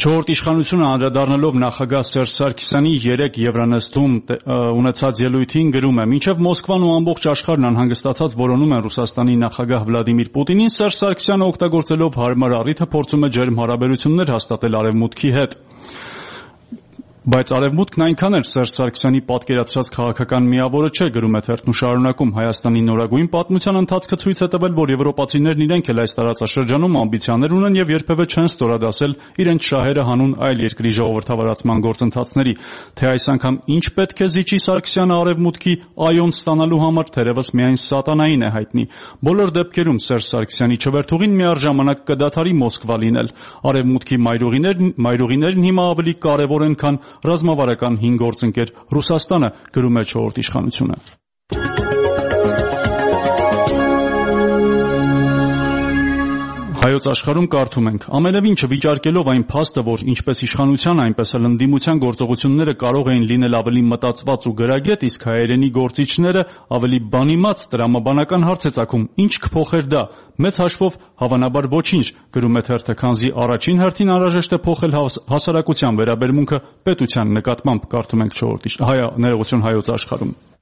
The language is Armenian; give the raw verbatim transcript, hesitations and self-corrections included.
Չորրորդ իշխանությունը անդրադառնալով նախագահ Սերժ Սարգսյանի երեկ Եվրանեստում ունեցած ելույթին գրում է. «Մինչև Մոսկվան ու ամբողջ աշխարհն անհանգստացած որոնում են Ռուսաստանի նախագահ Վլադիմիր Պուտինին, Սերժ Սարգսյանը օգտագործելով հարմար առիթը փորձում է ջերմ հարաբերություններ հաստատել Արևմուտքի հետ»։ Բայց Արևմուտքն այնքան էլ Սերժ Սարգսյանի պատկերացրած քաղաքական միավորը չէ, գրում է թերթն ու շարունակում. «Հայաստանի նորագույն պատմության ընթացքը ցույց է տվել, որ եվրոպացիներն իրենք էլ այս տարածաշրջանում ամբիցիաներ ունեն եւ երբեւէ չեն ստորադասել իրենց շահերը հանուն այլ երկրի ժողովրդավարացման գործընթացների։ Թե այս անգամ ինչ պետք է զիջի Սարգսյանը Արևմուտքի այոն ստանալու համար, թերևս միայն սատանային է հայտնի։ Բոլոր դեպքերում Սերժ Սարգսյանի չվերթուղին միառժամանակ կդադարի Մոսկվա լինել։ Արևմուտքի մայրուղիներն, մայրուղիներն հիմա ավելի կարևոր են, քան ռազմավարական հին գործընկեր Ռուսաստանը», գրում է չորրորդ իշխանությունը։ Հայոց աշխարհում կարդում ենք. «Ամենևին չվիճարկելով այն փաստը, որ ինչպես իշխանության, այնպես էլ ընդդիմության գործողությունները կարող էին լինել ավելի մտածված ու գրագետ, իսկ հայերենի գործիչները ավելի բանիմաց, տրամաբանական հարց է ծագում. ինչ կփոխեր դա։ Մեծ հաշվով հավանաբար ոչինչ», գրում է թերթը, քանզի առաջին հերթին անհրաժեշտ է փոխել հասարակության վերաբերմունքը պետության նկատմամբ, կարդում ենք չորրորդ ներողություն Հայոց աշխարհում։